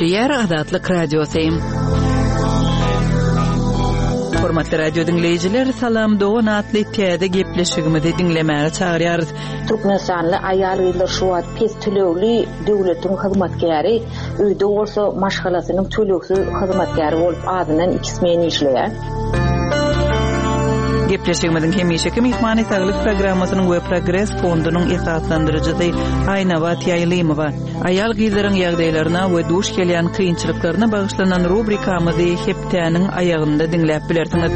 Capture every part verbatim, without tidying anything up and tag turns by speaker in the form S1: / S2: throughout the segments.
S1: Gepleýär Azatlyk Radiosy. Hormatly radio diňleýjiler, Salam dogan atly täze gepleşigimizi diňlemäge çagyrýarys.
S2: Türkmenistanly aýal-gyzlar şu wagt pes tölegli döwletiň hyzmatkäri, öýde bolsa maşgalasynyň tölegsiz hyzmatkäri bolup azyndan iki smen işleýär.
S1: Gepleşigimiziň hemişeki myhmany Saglyk programmasynyň we Progres fondunyň esaslandyryjysy Aýnabat Ýaýlymowa. Aýal-gyzlaryň ýagdaýlaryna we duş gelýän kynçylyklaryna bagyşlanan rubrikamyzy hepdäniň aýagynda diňläp bilersiňiz.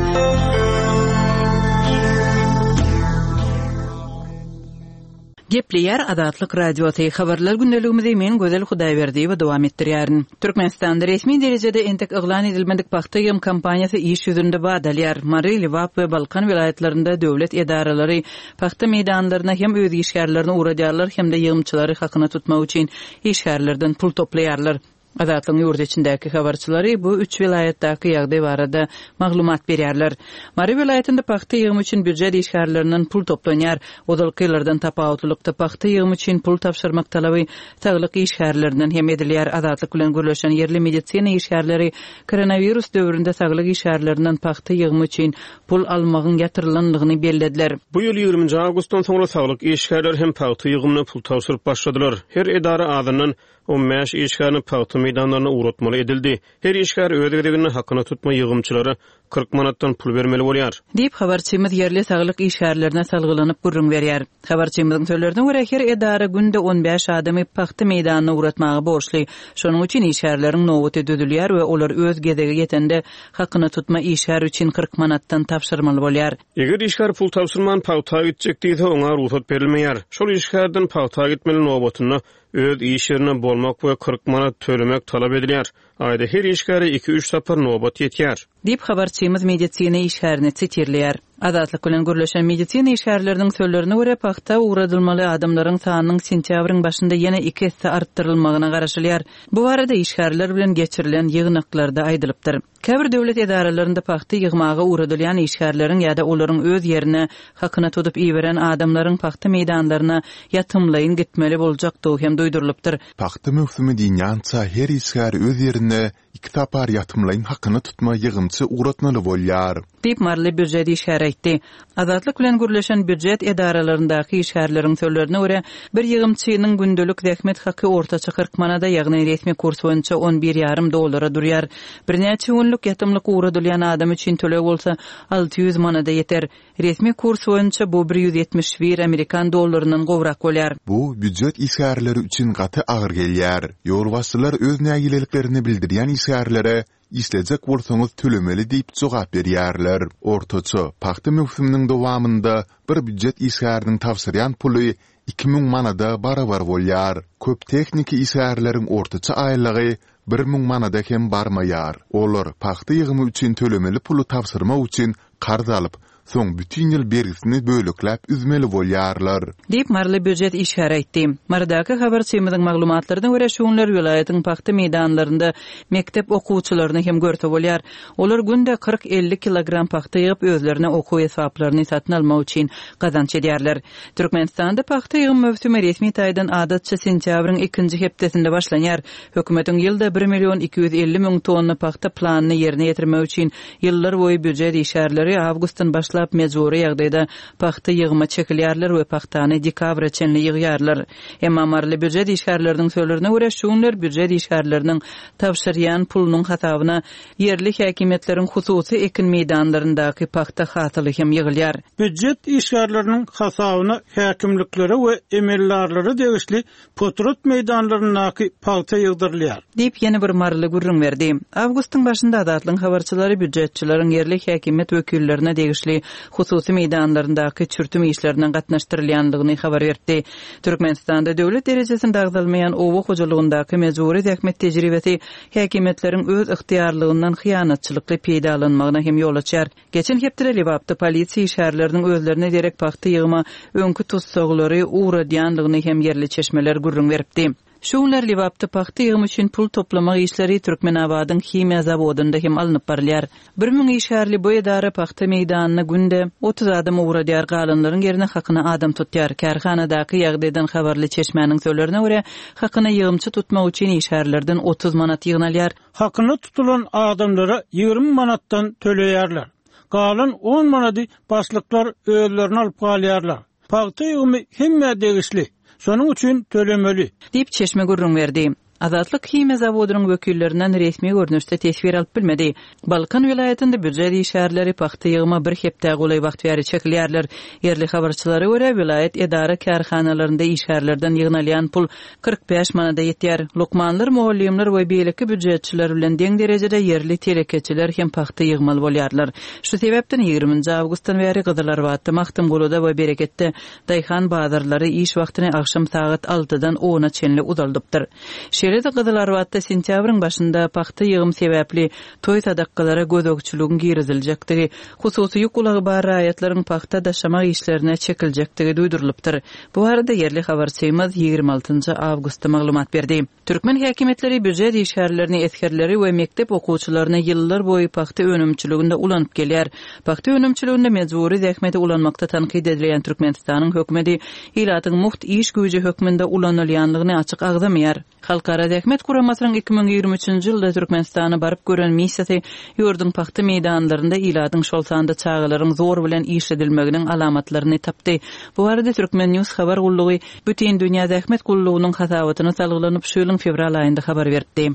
S1: Gepleýär Azatlyk Radiosy. Habarlar gündeligimizi men Gözel Hudaýberdiýewa dowam etdirýärin. Türkmenistanda resmi derejede entek yglan edilmedik pagta ýygym kampaniýasy iş ýüzünde bat alýar. Mary, Lebap we Balkan welaýatlarynda döwlet edaralary pagta meýdanlaryna hem öz işgärlerini ugradýarlar hem-de ýygymçylary hakyna tutmak üçin işgärlerden pul toplaýarlar. Azatlygyň ýurt içindäki habarçylary bu üç welaýatdaky ýagdaý barada maglumat berýärler. Mary welaýatynda pagta ýygymy üçin býujet işgärlerinden pul toplanýar. Ozalky ýyllardan tapawutlylykda pagta ýygymy üçin pul tabşyrmak talaby saglyk işgärlerinden hem edilýär. Azatlyk bilen gürleşen ýerli medisina işgärleri koronawirus döwründe saglyk işgärlerinden pagta ýygymy üçin pul almagyň ýatyrylandygyny bellediler.
S3: Bu ýyl ýigriminji awgustdan soňra saglyk işgärleri hem pagta ýygymyna pul tabşyryp başladylar. Her edara azyndan on bäş işgärini pagta meýdanlaryna ugratmaly edildi. Her işgär öz gezeginde hakyna tutma ýygymçylara kyrk manatdan pul bermeli bolýar.
S1: Diýip habarçymyz ýerli saglyk işgärlerine salgylanyp gürrüň berýär. Habarçymyzyň sözlerine görä her edara günde on bäş adamy pagta meýdanyna ugratmaga borçly. Şonuň üçin işgärleriň nobaty düzülýär we olar öz gezegi ýetende hakyna tutma işgär üçin kyrk manatdan tabşyrmaly bolýar.
S3: Eger işgär pul tabşyrman pagta gitjek diýse oňa rugsat berilmeýär. Şol işgärden pagta gitmeli nobatynda öz iş ýerine bolmak we kyrk manat tölemek talap edilýär. Aýda her işgäre iki üç sapar nobat ýetýär.
S1: Diýip habarçymyz medisina işgärini sitirleýär. Azatlyk bilen gürleşen medisina işgärleriniň sözlerine görä pagta ugradylmaly adamlaryň sanynyň sentýabryň başynda ýene iki esse artdyrylmagyna garaşylýar. Bu barada işgärler bilen geçirilen ýygnaklarda aýdylypdyr. Käbir döwlet edaralarynda pagta ýygmaga ugradylýan işgärleriň ýa-da olaryň öz ýerine hakyna tutup iberen adamlaryň pagta meýdanlaryna ýatymlaýyn gitmeli boljakdygy hem duýdurylypdyr.
S4: Pagta möwsümi diýýänçä her işgär öz ýerine iki sapar ýatymlaýyn hakyna tutma ýygymçy ugratmaly bolýar.
S1: Diýip Marly býujet işgäri aýtdy. Azatlyk bilen gürleşen býujet edaralaryndaky işgärleriň sözlerine görä bir ýygymçynyň gündelik zähmet haky ortaça kyrk manada, ýagny resmi kurs boýunça on bir ýarym dollara durýar. Birnäçe günlük ýatymlyk ugradylýan adam üçin töleg bolsa alty ýüz manada ýeter. Resmi kurs boýunça bu bir ýüz ýetmiş bir amerikan dollaryndan gowrak bolýar.
S4: Bu býujet işgärleri üçin gaty agyr gelýär. Ýolbaşçylar öz nägileliklerini bildirýän işgärlere işlejek bolsaňyz tölemeli diýip jogap berýärler. Ortaça pagta möwsüminiň dowamynda bir býujet işgäriniň tabşyrýan puly iki müň manada barabar bolýar. Köp tehniki işgärleriň ortaça aýlygy bir müň manada hem barmaýar. Olar pagta ýygymy üçin tölemeli puly tabşyrmak üçin karz alyp, soň bütün ýyl bergisini bölekläp üzmeli bolýarlar.
S1: Diýip Marly býujet işgäri aýtdy. Marydaky habarçymyzyň maglumatlaryna görä şu günler welaýatyň pagta meýdanlarynda mekdep okuwçylaryny hem görse bolýar. Olar günde kyrk elli kilogram pagta ýygyp özlerine okuw esbaplaryny satyn almak üçin gazanç edýärler. Türkmenistanda pagta ýygym möwsümi resmi taýdan adatça sentýabryň ikinji hepdesinde başlanýar. Hökümetiň ýylda bir million iki ýüz elli müň tonna pagta planyny ýerine ýetirmek üçin ýyllar boýy býujet işgärleri awgustdan başlap mejbury ýagdaýda pagta ýygyma çekilýärler we pagtany dekabra çenli ýygýarlar. Emma Marly býujet işgärleriniň sözlerine görä şu günler býujet işgärleriniň tabşyrýan pulunyň hasabyna ýerli häkimiýetleriň hususy ekin meýdanlaryndaky pagta hasyly hem ýygylýar.
S5: Býujet işgärleriniň hasabyna häkimliklere we emeldarlara degişli potrat meýdanlaryndaky pagta ýygdyrylýar.
S1: Diýip ýene bir Marly gürrüň berdi. Awgustyň başynda Azatlygyň habarçylary býujetçileriň ýerli häkimiýet wekillerine degişli hususy meýdanlaryndaky çürtüm işlerine gatnaşdyrylýandygyny habar berdi. Türkmenistanda döwlet derejesinde agzalmaýan oba hojalygyndaky mejbury zähmet tejribesi häkimiýetleriň öz ygtyýarlygyndan hyýanatçylykly peýdalanmagyna hem ýol açýar. Geçen hepdede Lebapda polisiýa işgärleriniň özlerine derek pagta ýygyma öňki tutsaglary ugradýandygyny hem ýerli çeşmeler gürrüň beripdi. Şu günler Lebapda pagta ýygymy üçin pul toplamak işleri Türkmenabadyň himiýa zawodynda hem alnyp barylýar. Bir müň işgärli bu edara pagta meýdanyna günde otuz adam ugradýar, galanlaryň ýerine hakyna adam tutýar. Kärhanadaky ýagdaýdan habarly çeşmäniň sözlerine görä, hakyna ýygymçy tutmak üçin işgärlerden otuz manat ýygnalýar.
S5: Hakyna tutulan adamlara ýigrimi manatdan töleýärler. Galan on manady başlyklar özlerine alyp galýarlar. Pagta ýygymy hemmä degişli. Şonuň üçin tölemeli.
S1: Diýip çeşme gürrüň berdi. Azatlyk himiýa zawodynyň wekillerinden resmi görnüşde teswir alyp bilmedi. Balkan welaýatynda býujet işgärleri pagta ýygyma bir hepdä golaý wagt bäri çekilýärler. Ýerli habarçylara görä, welaýat edara kärhanalarynda işgärlerden ýygnalýan pul kyrk bäş manada ýetýär. Lukmanlar, mugallymlar we beýleki býujetçiler bilen deň derejede ýerli telekeçiler hem pagta ýygmaly bolýarlar. Şu sebäpden ýigriminji awgustdan bäri Gyzylarbatda, Magtymgulyda we Bereketde daýhan bazarlary iş wagtyny agşam sagat altydan ona çenli uzaldypdyr. Şeýle-de Gyzylarbatda sentýabryň başynda pagta ýygym sebäpli toý sadakalara gözegçiligiň giriziljekdigi, hususy ýük ulagy bar raýatlaryň pagta daşamak işlerine çekiljekdigi duýdurylypdyr. Bu barada ýerli habarçymyz ýigrimi altynjy awgustda maglumat berdi. Türkmen häkimiýetleri býujet işgärlerini, esgerleri we mekdep okuwçylaryny ýyllar boýy pagta önümçiliginde ulanyp gelýär. Pagta önümçiliginde mejbury zähmeti ulanmakda tankyt edilýän Türkmenistanyň hökümeti ilatyň mugt iş güýji hökmünde ulanylýanlygyny açyk agzamaýar. Halkara Zähmet Guramasynyň iki müň ýigrimi üçünji ýylda Türkmenistana baryp gören missiýasy ýurduň pagta meýdanlarynda ilatyň, şol sanda çagalaryň zor bilen işledilmeginiň alamatlaryny tapdy. Bu barada Türkmen News habar gullugy Bütindünýä Zähmet Gullugynyň hasabatyna salgylanyp şu ýylyň fewral aýynda habar beripdi.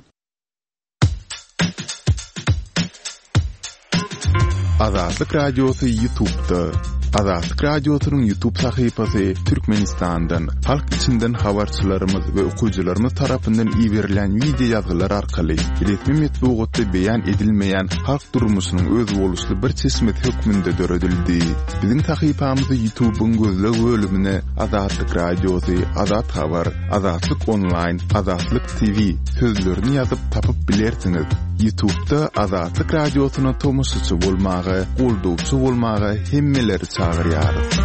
S4: Azatlyk Radiosy YouTube'da. Azatlyk Radiosynyň YouTube sahypasy Türkmenistandan, halk içinden habarçylarymyz we okyjylarymyz tarapyndan iberilen video ýazgylar arkaly resmi metbugatda beýan edilmeýän halk durmuşynyň özboluşly bir çeşmesi hökmünde döredildi. Biziň sahypamyzy YouTube'yň gözleg bölümine Azatlyk Radiosy, Azat Habar, Azatlyk Online, Azatlyk T V sözlerini ýazyp tapyp bilersiňiz. YouTube'da Azatlyk Radiosyna tomaşaçy bolmaga, goldawçy bolmaga hemmeleri çagyrýarys.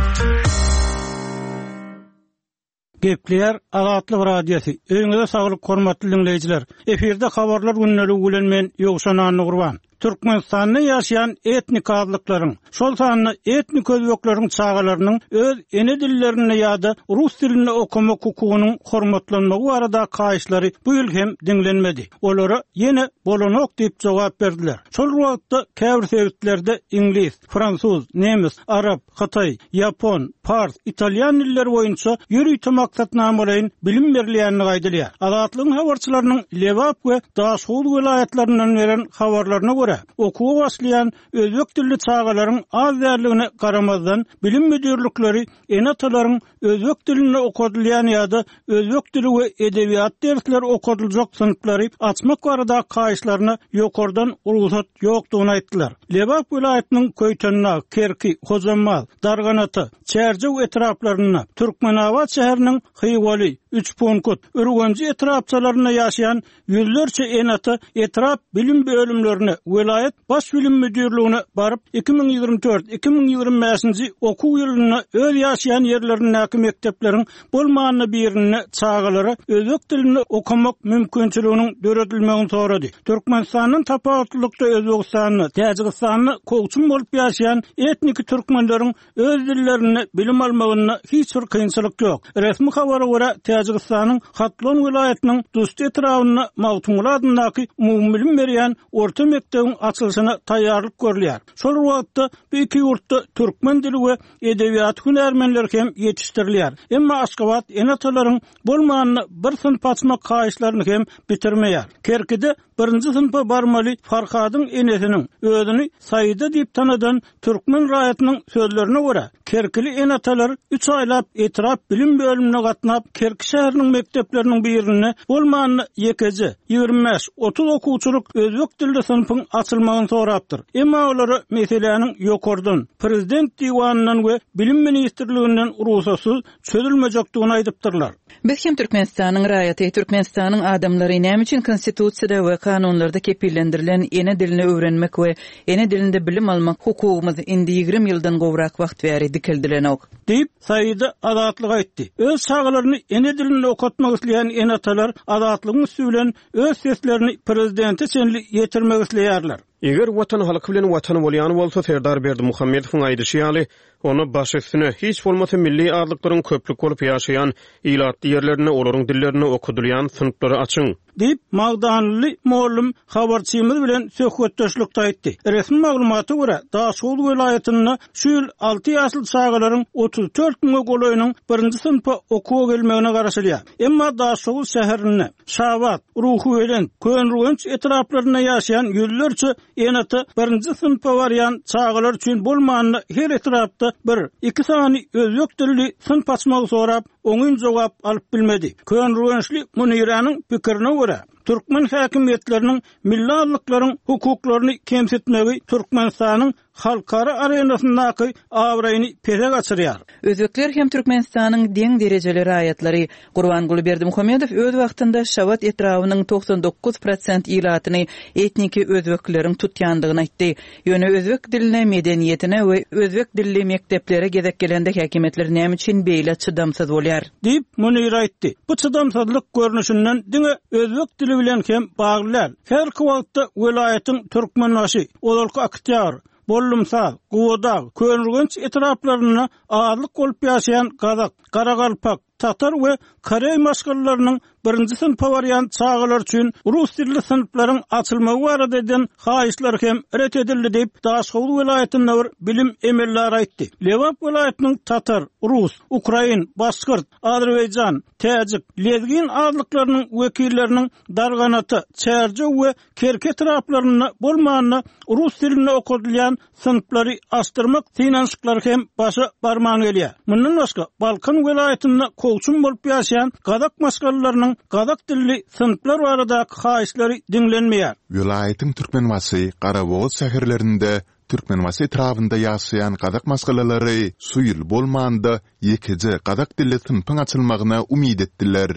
S5: Gepleýär Azatlyk Radiosy. Öýüňize saglyk hormatly dinleýjiler. Efirde habarlar günleri bilen men Ýowşan Annagurban. Türkmenistanda ýaşaýan etnik azlyklaryň, şol sanda etnik özbekleriň çagalarynyň öz ene dillerinde ýa-da rus dilinde okamak hukugynyň hormatlanmagy barada haýyşlary bu ýyl hem diňlenmedi. Olara ýene bolanok diýip jogap berdiler. Şol wagtda käbir sebitlerde iňlis, fransuz, nemes, arap, hytaý, ýapon, pars, italýan dilleri boýunça ýörite maksatnamalaryň bilim berilýänini aýdylýar. Azatlygyň habarçylarynyň Lebap we Daşoguz welaýatlaryndan beren habarlaryna görä, okuwa başlaýan özbek dilli çagalaryň az däldigine garamazdan bilim müdirlikleri ene-atalaryň özbek dilinde okadylýan ýa-da özbek dili we edebiýat dersleri okadyljak synplary açmak barada haýyşlaryna ýokardan rugsat ýokdugyny aýtdylar. Lebap welaýatynyň Köýtendag, Kerki, Hojambaz, Darganata, Çärjew etraplarynda, Türkmenabat şäheriniň Hywaly, Üçpunkut, Ürgenji etrapçalarynda ýaşaýan ýüzlerçe ene-ata etrap bilim bölümlerine, welaýat baş bilim müdirligine baryp iki müň ýigrimi dört, iki müň ýigrimi bäşinji okuw ýylynda öz ýaşaýan ýerlerindäki mekdepleriň bolmanyna birinde çagalara özbek dilinde okamak mümkinçiliginiň döredilmegini sorady. Türkmenistandan tapawutlylykda Özbegistanda, Täjigistanda kowçum bolup ýaşaýan etnik türkmenleriň öz dillerinde bilim almagynda hiç bir kynçylyk ýok. Resmi habara görä Täjigistanyň Hatlon welaýatynyň Dust etrabynda Magtymguly adyndaky umumy bilim berýän orta mekdebiň açylyşyna taýýarlyk görülýär. Şol wagtda bu iki ýurtda türkmen dili we edebiýat hünärmenleri hem ýetişdirilýär. Emma Aşgabat ene-atalaryň bolmanyna bir synp açmak haýyşlaryny hem bitirmeýär. Kerkide birinji synpa barmaly Farhadyň enesiniň özüni Saýda diýip tanadan türkmen raýatynyň sözlerine görä, Kerkili ene-atalar üç aýlap etrap bilim bölümine gatnap, Kerki şäheriniň mekdepleriniň birinde bolmanyna ýekeje ýigrimi bäş, otuz okuwçylyk özbek dilli synpyň açylmagyny sorapdyr. Emma olara meseläniň ýokardan, prezident diwanyndan we bilim ministrliginden rugsatsyz çözülmejekdigini aýdypdyrlar.
S1: Biz hem Türkmenistanyň raýaty, Türkmenistanyň adamlary näme üçin konstitusiýada we kanunlarda kepillendirilen ene dilini öwrenmek we ene dilinde bilim almak hukugymyz indi ýigrimi ýyldan gowrak wagt bäri dikeldilenok.
S5: Diýip, Saýda Azatlyk aýtdy. Öz çagalaryny ene ene dilinde okatmak isleýän ene-atalar Azatlygyň üsti bilen öz seslerini prezidente çenli ýetirmek isleýärler.
S3: Eger Watan halky bilen Watan bolýan bolsa, Serdar Berdimuhamedowyň aýdyşy ýaly, onda baş üstüne, hiç bolmasa milli azlyklaryň köplük bolup ýaşaýan ilatly ýerlerinde olaryň dillerinde okadylýan synplary açyň.
S5: Diýip, magdanly mugallym habarçymyz bilen söhbetdeşlikde aýtdy. Resmi maglumata görä, Daşoguz welaýatynda şu ýyl alty ýaşly çagalaryň otuz dört müňe golaýynyň birinji synpa okuwa gelmegine garaşylýar. Emma Daşoguz şäherinde, Şabat, Ruhubelent, Köneürgenç etraplarynda ýaşaýan ýüzlerçe ene-ata birinji synpa barýan çagalar üçin bolmanda her etrapda bir, iki sany özbek dilli synp açmagy sorap, oňyn jogap alyp bilmedi. Köneürgençli Muniranyň pikirine görä, türkmen häkimiýetleriniň milli azlyklaryň hukuklaryny kemsitmegi Türkmenistanyň halkara arenasyndaky abraýyny pese gaçyrýar.
S1: Özbekler hem Türkmenistanyň deň derejeli raýatlary. Gurbanguly Berdimuhamedow öz wagtynda Şabat etrabynyň togsan dokuz prosent ilatyny etniki özbekleriň tutýandygyny aýtdy. Ýöne özbek diline, medeniýetine we özbek dilli mekdeplere gezek gelende häkimiýetler näme üçin beýle çydamsyz bolýar?
S5: Diýip, Munir aýtdy. Bu çydamsyzlyk görnüşinden diňe özbek dili bilen hem bagly däl. Her wagtda welaýatyň Türkmenbaşy, ozalky Oktýabr, Bollumsaz, Guwadag, Köneürgenç etraplarynda azlyk bolup ýaşaýan Gazak, Garagalpak, Tatar we Koreý maşgalalarynyň birinji synpa barýan çagalar üçin rus dilli synplaryň açylmagy barada eden haýyşlary hem ret edildi diýip, Daşoguz welaýatynda bir bilim emelleri aýtdy. Lebap welaýatynyň Tatar, Rus, Ukrain, Başgyrt, Azerbaýjan, Täjik, Lezgin azlyklarynyň wekilleriniň Darganata, Çärjew we Kerki etraplarynda bolmanda rus dilinde okadylýan synplary açdyrmak synanyşyklary hem başa barman gelýär. Mundan başga Balkan welaýatynda kowçum bolup ýaşaýan gazak maşgalalarynyň gazak dilli synplar baradaky haýyşlary diňlenmeýär.
S4: Welaýatyň Türkmenbaşy, Garabogaz şäherlerinde Türkmenbaşy etrabynda ýaşaýan gazak maşgalalary şu ýyl bolmanda ýekeje gazak dilli synpyň açylmagyna umyt etdiler.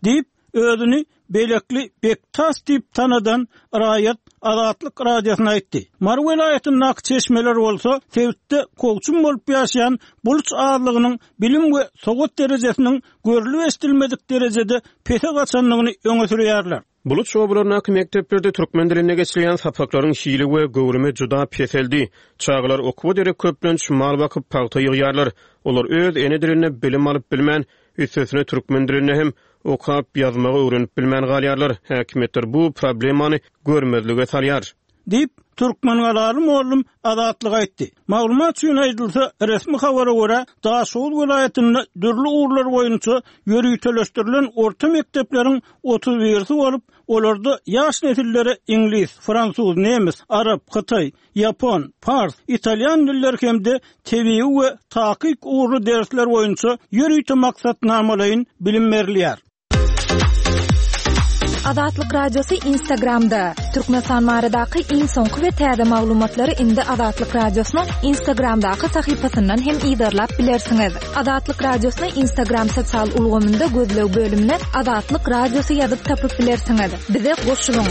S5: Diýip, özüni Belekli Bektas diýip tanadan raýat Azatlyk Radiosyna aýtdy. Mary welaýatyndaky çeşmeler bolsa sebitde kowçum bolup ýaşaýan buluç azlygynyň bilim we sowat derejesiniň görlüp eşidilmedik derejede pese gaçandygyny öňe sürýärler.
S3: Buluç obalaryndaky mekdeplerde türkmen dilinde geçirilýän sapaklaryň hili we göwrümi juda peseldi. Çagalar okuwa derek köplenç mal bakyp pagta ýygýarlar. Olar öz ene dilinde bilim alyp bilmän, üstesine türkmen dilinde hem okap ýazmagy öwrenip bilmän galýarlar. Häkimiýetler bu problemany görmezlige salýar.
S5: Diýip, Türkmengalaly mugallym Azatlyk aýtdy. Maglumat üçin aýdylsa, resmi habara görä, Daşoguz welaýatynda dürli ugurlar boýunça ýöriteleşdirilen orta mekdepleriň otuz birisi bolup, olarda ýaş nesillere iňlis, fransuz, nemes, arap, hytaý, ýapon, pars, italýan dilleri hem-de tebigy we takyk ugurly dersler boýunça ýörite maksatnamalaýyn bilim berilýär.
S6: Azatlyk Radiosy Instagramda. Türkmenistan baradaky iň soňky we täze maglumatlary indi Azatlyk Radiosynyň Instagramdaky sahypasyndan hem yzarlap bilersiňiz. Azatlyk Radiosyny Instagram sosial ulgamynda gözleg bölümine Azatlyk Radiosy ýazyp tapyp bilersiňiz. Bize goşulyň.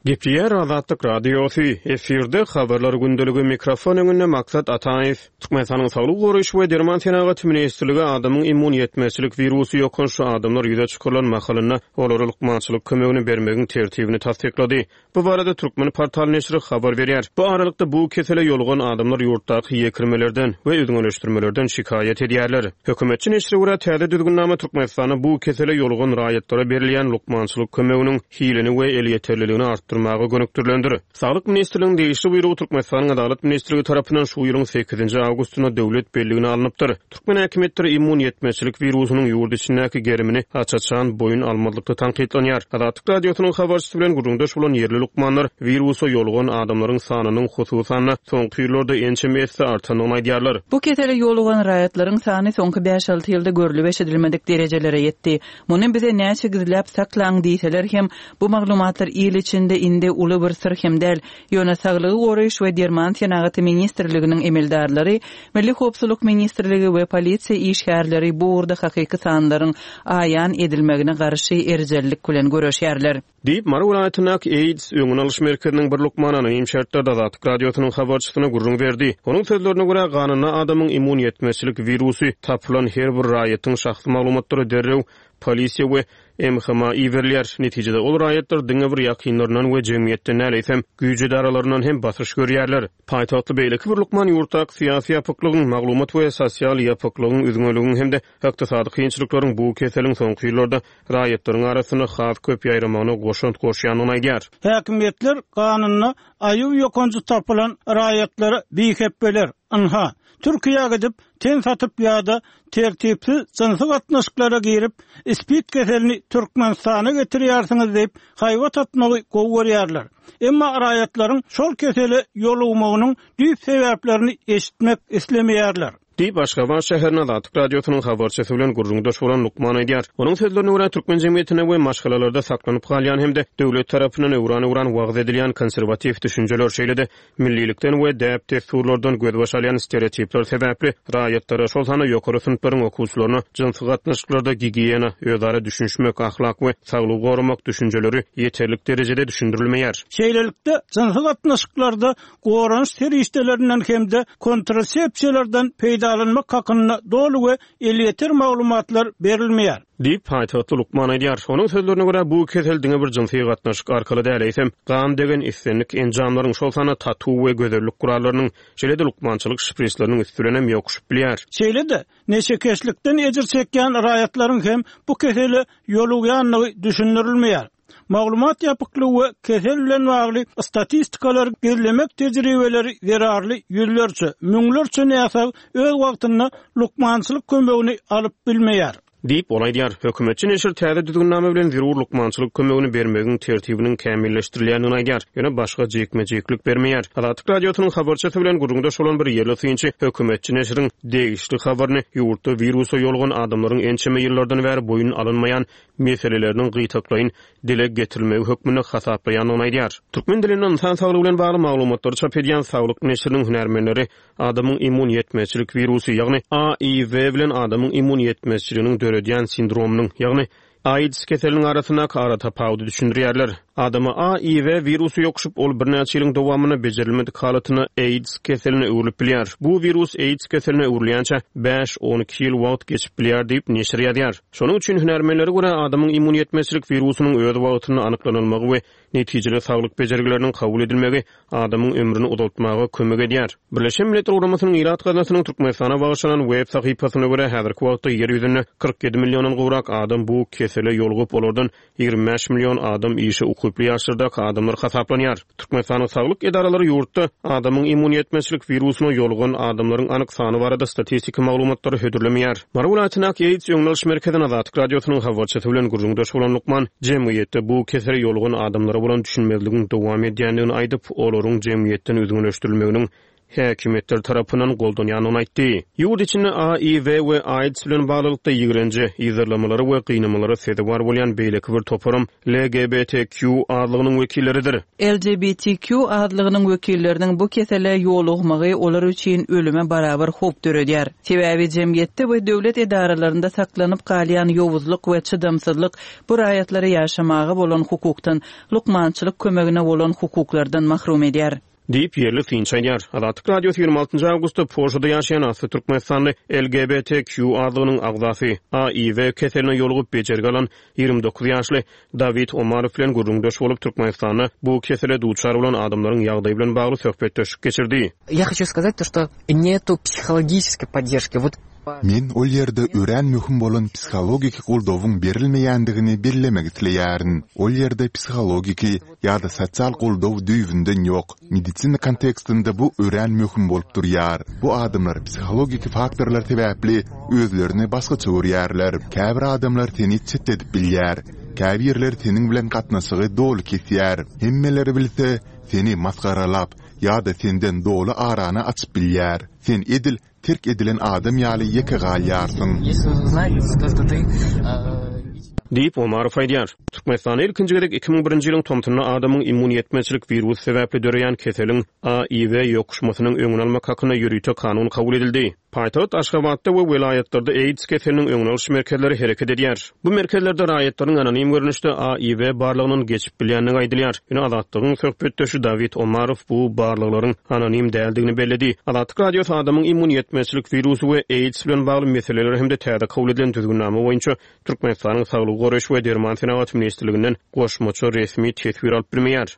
S3: Gepleýär Azatlyk Radiosy, efirde habarlar gündeligi, mikrofon öňünde Maksat Ataýew. Türkmenistanyň Saglygy goraýyş we derman senagaty ministrligi adamyň immun ýetmezçilik wirusy ýokançly adamlar ýüze çykarylan mahalynda olara lukmançylyk kömegini bermegiň tertibini tassyklady. Bu barada Türkmen portal neşiri habar berýär. Bu aralykda bu kesele ýolugan adamlar ýurtdaky ýekirmelerden we üzňeleşdirmelerden şikaýat edýärler. Hökümetçi neşire görä täze düzgünnama Türkmenistanda bu kesele ýolugan raýatlara berilýän lukmançylyk kömeginiň hilini we elýeterliligini artdyrmaga gönükdirilendir. Saglyk ministrliginiň degişli buýrugy Türkmenistanyň Adalat ministrligi tarapyndan şu ýylyň sekizinji awgustynda döwlet belligine alnypdyr. Türkmen häkimiýetleri immun ýetmezçilik wirusynyň ýurt içindäki gerimini aç-açan boýun almazlykda tankytlanýar. Azatlyk Radiosynyň habarçysy bilen gürrüňdeş bolan ýerli lukmanlar wirusa ýolugan adamlaryň sanynyň hususan-da soňky ýyllarda ençeme esse artandygyny aýdýarlar.
S1: Bu kesele ýolugan raýatlaryň sany soňky bäş-alty ýylda görlüp eşidilmedik derejelere ýetdi. Muny bize näçe gizläp saklaň diýseler hem bu maglumatlar il içinde indi uly bir syr hem däl. Ýöne Saglygy goraýyş we derman senagaty ministrliginiň emeldarlary, Milli howpsuzlyk ministrligi we polisiýa işgärleri bu ugurda hakyky sanlaryň aýan edilmegine garşy erjellik bilen göreşýärler.
S3: Diýip, Mary welaýatyndaky AIDS öňüni alyş merkeziniň bir lukmany anonim şertlerde Azatlyk Radiosynyň habarçysyna gürrüň berdi. Onuň sözlerine görä, ganynda adamyň immun ýetmezçilik wirusy tapylan her bir raýatyň şahsy maglumatlary derrew polisiýa we M H M-a iberilýär. Netijede ol raýatlar diňe bir ýakynlaryndan we jemgyýetden däl, eýsem güýç edaralaryndan hem basyş görýärler. Paýtagtly beýleki bir lukman ýurtdaky syýasy ýapyklygyň, maglumat we sosial ýapyklygyň, üzňeligiň hem-de ykdysady kynçylyklaryň bu keseliň soňky ýyllarda raýatlaryň arasynda has köp ýaýramagyna goşant goşýandygyny aýdýar.
S5: Häkimiýetler ganynda A I W ýokanjy tapylan raýatlara bihepbeler, ynha, Türkiýä gidip, ten satyp ýa-da tertipsiz jynsy gatnaşyklara girip, SPID keselini Türkmenistana getirýärsiňiz diýip, haýbat atmagy gowy görýärler. Emma raýatlaryň şol kesele ýolugmagynyň düýp sebäplerini eşitmek islemeýärler.
S3: Diýip, Aşgabat şäherinde Azatlyk Radiosynyň habarçysy bilen gürrüňdeş bolan lukman aýdýar. Onuň sözlerine görä, türkmen jemgyýetinde we maşgalalarda saklanyp galýan hem-de döwlet tarapyndan öwran-öwran wagyz edilýän konserwatiw düşünjeler, şeýle-de millilikden we däp-dessurlardan gözbaş alýan stereotipler sebäpli raýatlara, şol sanda ýokary synplaryň okuwçylaryna jynsy gatnaşyklarda gigiýena, özara düşünişmek, ahlak we saglygy goramak düşünjeleri ýeterlik derejede düşündirilmeýär.
S5: Şeýlelikde, jynsy gatnaşyklarda goranyş serişdelerinden hem-de kontrasepsiýalardan peýdalanmak hakynda doly we elýeter maglumatlar berilmeýär.
S3: Diýip, paýtagtly lukman aýdýar. Onuň sözlerine görä, bu kesel diňe bir jynsy gatnaşyk arkaly däl, eýsem gan degen islendik enjamlaryň, şol sanda tatu we gözellik gurallarynyň, şeýle-de lukmançylyk şprisleriniň üsti bilen hem ýokuşyp bilýär.
S5: Şeýle-de neşekeşlikden ejir çekýän raýatlaryň hem bu kesele ýolugýandygy düşündirilmeýär. Maglumat ýapyklygy we kesel bilen bagly statistikalar gizlemek tejribeleri zerarly ýüzlerçe, müňlerçe näsag öz wagtynda lukmançylyk kömegini alyp bilmeýär.
S3: Diýip, ol aýdýar. Hökümetçi neşir täze düzgünnama bilen zerur lukmançylyk kömegini bermegiň tertibiniň kämilleşdirilýändigini aýdýar. Ýöne başga jikme-jiklik bermeýär. Azatlyk Radiosynyň habarçysy bilen gürrüňdeş bolan bir ýerli synçy hökümetçi neşiriň degişli habaryny ýurtda wirusa ýolugan adamlaryň ençeme ýyllardan bäri boýun alynmaýan meseleleriniň gytaklaýyn dile getirilmegi hökmünde hasaplaýandygyny aýdýar. Türkmen dilinde insan saglygy bilen bagly maglumatlary çap edýän Saglyk neşiriniň hünärmenleri adamyň immun ýetmezçilik wirusy, ýagny A I W bilen adamyň immun ýetmezçiliginiň döredýän sindromynyň, ýagny AIDS keseliniň arasyndaky ara tapawudy düşündirýärler. Adama A I W wirusy ýokuşyp, ol birnäçe ýylyň dowamynda bejerilmedik halatynda AIDS keseline öwrülip bilýär. Bu wirus AIDS keseline öwrülýänçä bäş-on iki ýyl wagt geçip bilýär diýip neşir ýazýar. Şonuň üçin hünärmenlere görä, adamyň immun ýetmezçilik wirusynyň öz wagtynda anyklanylmagy we netijeli saglyk bejergileriniň kabul edilmegi adamyň ömrüni uzaltmaga kömek edýär. Birleşen Milletler Guramasynyň Ilat Gaznasynyň Türkmenistana bagyşlanan web sahypasyna görä, häzirki wagtda ýer ýüzünde kyrk ýedi milliondan gowrak adam bu kesele ýolugyp, olardan ýigrimi bäş million adam işe ukyply ýaşlardaky adamlar hasaplanýar. Türkmenistanyň saglyk edaralary ýurtda adamyň immun ýetmezçilik wirusyna ýolugan adamlaryň anyk sany barada statistiki maglumatlary hödürlemeýär. Mary welaýatyndaky AIDS öňüni alyş merkeziniň Azatlyk Radiosynyň habarçysy bilen gürrüňdeş bolan lukman jemgyýetde bu kesele ýolugan adamlara bolan düşünmezligiň dowam edýändigini aýdyp, olaryň jemgyýetden üzňeleşdirilmeginiň häkimiýetler tarapyndan goldanýandygyny aýtdy. Ýurt içinde A I W we AIDS bilen baglylykda ýigrenje, yzarlamalara we gynamalara sezewar bolýan beýleki bir toparym L G B T Q azlygynyň wekilleridir.
S1: L G B T Q azlygynyň wekilleriniň bu kesele ýolugmagy olar üçin ölüme barabar howp döredýär. Sebäbi jemgyýetde we döwlet edaralarynda saklanyp galýan ýowuzlyk we çydamsyzlyk bu raýatlara ýaşamaga bolan hukukdan, lukmançylyk kömegine bolan hukuklardan mahrum edýär.
S3: Diýip ýerli synçy aýdýar. Azatlyk Radiosy ýigrimi altynjy awgustda Polşada ýaşaýan asly türkmenistanly L G B T Q azlygynyň agzasy A I W keseline ýolugyp bejergi alan ýigrimi dokuz ýaşly Dawid Omarow bilen gürrüňdeş bolup, Türkmenistanda bu kesele duçar bolan adamlaryň ýagdaýy bilen bagly söhbetdeşlik geçirdi.
S7: Я хочу сказать то, что нету психологической поддержки. Вот
S4: Men ol ýerde örän möhüm bolan psihologik goldawyň berilmeýändigini bellemek isleýärin. Ol ýerde psihologik ýa-da sosial goldaw düýbünden ýok. Medisina kontekstinde bu örän möhüm bolup durýar. Bu adamlar psihologik faktorlar sebäpli özlerini başgaça görýärler. Käbir adamlar seni çetledip bilýär. Käbirler seniň bilen gatnaşygy doly kesýär. Hemmeler bilse seni masgaralap ýa-da senden doly arany açyp bilýär. Sen edil terk edilen adam ýaly ýeke galýarsyň.
S7: Если узнать, то, что ты э,
S3: Diýip Omarow aýdýar. Türkmenistanda ilkinji gezek iki müň birinji ýylyň tomsunda adamyň immun ýetmezçilik wirusy sebäpli döreýän keseliň A I V ýokuşmasynyň öňüni almak hakynda ýörite kanun kabul edildi. Paýtagt Aşgabatda we welaýatlarda AIDS keseliniň öňüni alyş merkezleri hereket edýär. Bu merkezlerde raýatlaryň anonim görnüşde A I V barlagyndan geçip bilýändigi aýdylýar. Ýöne Azatlygyň söhbetdeşi Dawid Omarow bu barlaglaryň anonim däldigini belledi. Azatlyk Radiosy adamyň immun ýetmezçilik wirusy we AIDS bilen bagly meseleler hem-de täze kabul edilen düzgünnama boýunça Türkmenistanyň Saglygy goraýyş we derman senagaty ministrliginden goşmaça resmi teswir alyp bilmeýär.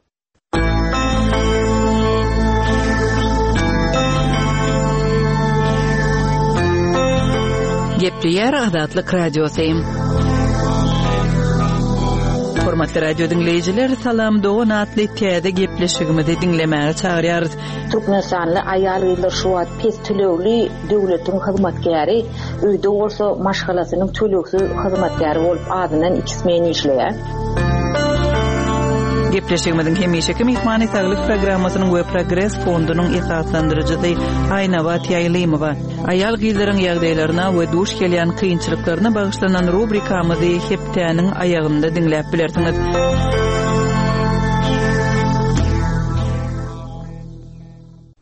S1: Gepleýär Azatlyk Radiosy. Hormatly radio diňleýjiler, Salam dogan atly täze gepleşigimizi diňlemäge çagyrýarys.
S2: Türkmenistanly aýal-gyzlar şu wagt pes tölegli döwletiň hyzmatkäri, öýde bolsa maşgalasynyň tölegsiz hyzmatkäri bolup azyndan iki smen işleýär.
S1: Gepleşigimiziň hemişeki myhmany Saglyk programmasynyň we Progres fondunyň esaslandyryjysy Aýnabat Ýaýlymowa. Aýal gyzlaryň ýagdaýlaryna we duş gelýän kynçylyklaryna bagyşlanan rubrikamyzy hepdäniň aýagynda diňläp bilersiňiz.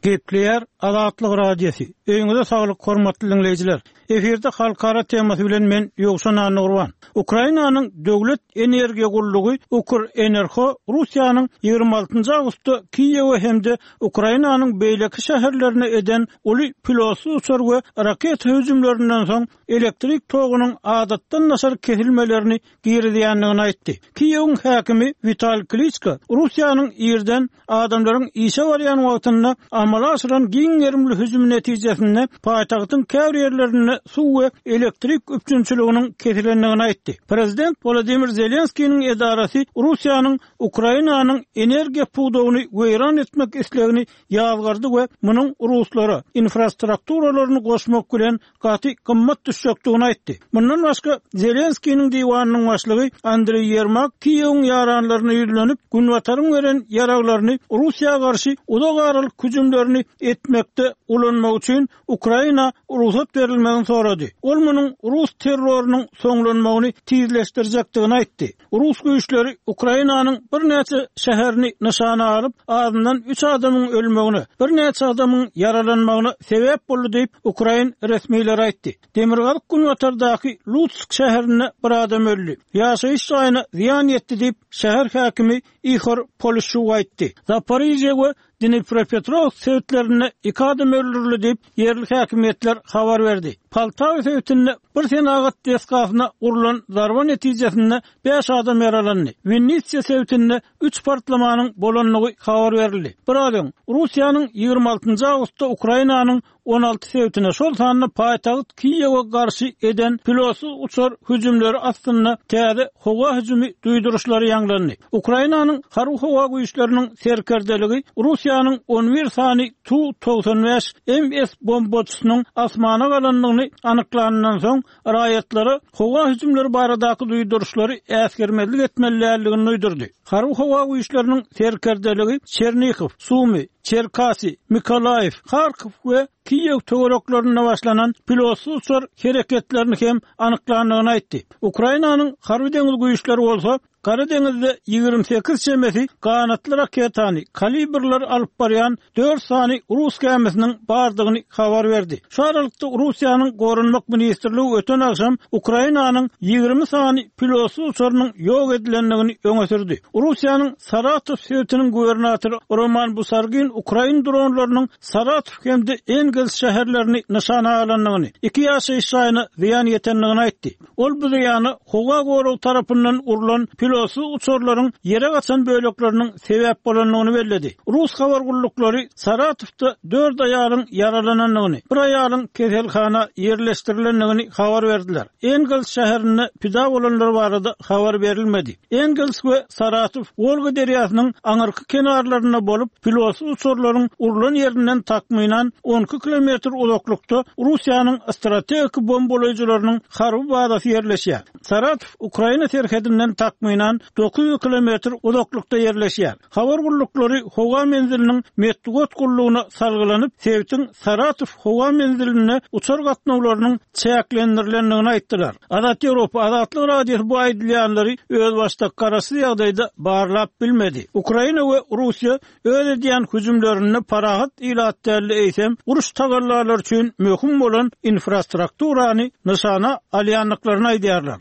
S5: Gepleýär Azatlyk Radiosy. Öýüňize saglyk hormatly diňleýjiler. Efirde halkara temasy bilen men Ýowşan Annagurban. Ukrainanyň döwlet energiýa gullugy Ukrenergo Russiýanyň ýigrimi altynjy awgustda Kiýewe hem-de Ukrainanyň beýleki şäherlerine eden uly pilotsyz uçar we raketa hüjümlerinden soň elektrik togunyň adatdan daşary kesilmelerini girizýändigini aýtdy. Kiýewiň häkimi Wital Kliçko Russiýanyň ýerden adamlaryň işe barýan wagtynda amala aşyran giň gerimli hüjüm netijesinde paýtagtyň käbir ýerlerinde suw we elektrik üpjünçiliginiň kesilendigini aýtdy. Prezident Wladimir Zelenskiniň edarasy Russiýanyň Ukrainanyň energiýa pudagyny weýran etmek islegini ýazgardy we munuň ruslara infrastrukturalaryny goşmak bilen gaty gymmat düşjekdigini aýtdy. Mundan başga Zelenskiniň diwanynyň başlygy Andreý Ýermak Kiýewiň ýaranlaryna ýüzlenip, Günbataryň beren ýaraglaryny Russiýa garşy uzak aralyk hüjümlerini etmekde ulanmak üçin Ukraina rugsat berilmegini sorady. Ol munuň rus terrorynyň soňlanmagyny tizleşdirjekdigini aýtdy. Rus güýçleri Ukrainanyň birnäçe şäherini nyşana alyp, azyndan üç adamyň ölmegine, birnäçe adamyň ýaralanmagyna sebäp boldy diýip Ukrain resmileri aýtdy. Demirgazyk Günbatardaky Lutsk şäherinde bir adam öldi. Ýaşaýyş jaýyna zyýan ýetdi diýip şäher häkimi Ihor Polişuk aýtdy. Zaporizhye we Dnipropetrovsk sebitlerinde iki adam öldürildi diýip ýerli häkimiýetler habar berdi. Poltawa sebitinde bir senagat desgasyna urlan zarba netijesinde beş adam ýaralandy. Winnitsiya sebitinde üç partlamanyň bolandygy habar berildi. Bir adam Russiýanyň ýigrimi altynjy awgustda Ukrainanyň on alty sebitine, şol sanda paýtagt Kiýewe garşy eden pilotsyz uçar hüjümleri astynda täze howa hüjümi duýduryşlary ýaňlandy. Ukrainanyň harby howa güýçleriniň serkerdeligi Russiýanyň on bir sany Tu togsan bäş M S bombaçysynyň asmana galandygyny anyklandan soň raýatlara howa hüjümleri baradaky duýduryşlary äsgermezlik etmelidigini duýdurdy. Harby howa güýçleriniň serkerdeligi Çernikow, Sumy, Çerkasy, Mikolaýew, Harkow we Kiýew töwereklerinde başlanan pilotsyz uçar hereketlerini hem anyklandygyny aýtdy. Ukrainanyň harby deňiz güýçleri bolsa Gara deňizde ýigrimi sekiz çemesi ganatly raketany, kalibrler alyp barýan dört sany rus gämisiniň bardygyny habar berdi. Şu aralykda Russiýanyň Goranmak ministrligi öten agşam Ukrainanyň ýigrimi sany pilotsyz uçarynyň ýok edilendigini öňe sürdi. Russiýanyň Saratow sebitiniň gubernatory Roman Busargin Ukrain dronlarynyň Saratow hem-de Engels şäherlerini nyşana alandygyny, iki ýaşaýyş jaýyna zyýan ýetendigini aýtdy. Ol bu zyýany howa goragy tarapyndan urlan pilotsyz uçarlaryň ýere gaçan bölekleriniň sebäp bolandygyny belledi. Rus habar gulluklary Saratowda dört aýalyň ýaralanandygyny, bir aýalyň keselhana ýerleşdirilendigini habar berdiler. Engels şäherinde pida bolanlar barada habar berilmedi. Engels we Saratow Wolga derýasynyň aňyrky kenarlarynda bolup, pilotsyz uçarlaryň urlan ýerinden takmynan on iki kilometr uzaklykda Russiýanyň strategik bombalaýjylarynyň harby bazasy ýerleşýär. Saratow Ukraina serhedinden takmynan takmynan dokuz ýüz kilometr uzaklykda ýerleşýär. Habar gulluklary howa menziliniň metbugat gullugyna salgylanyp, sebitiň Saratow howa menzilinde uçar gatnawlarynyň çäklendirilendigini aýtdylar. Azat Ýewropa, Azatlyk Radiosy bu aýdylýanlary özbaşdak garaşsyz ýagdaýda barlap bilmedi. Ukraina we Russiýa öz edýän hüjümlerinde parahat ilat däl-de, eýsem, uruş tagallalary üçin möhüm bolan infrastrukturany nyşana alýandyklaryny aýdýarlar.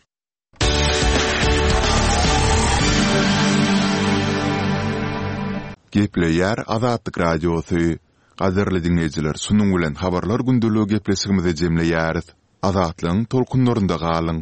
S4: Gepleýär Azatlyk Radiosy. Gadyrly diňleýjiler, şunuň bilen Habarlar gündeligi gepleşigimizi jemleýäris. Azatlygyň tolkunlarynda galyň!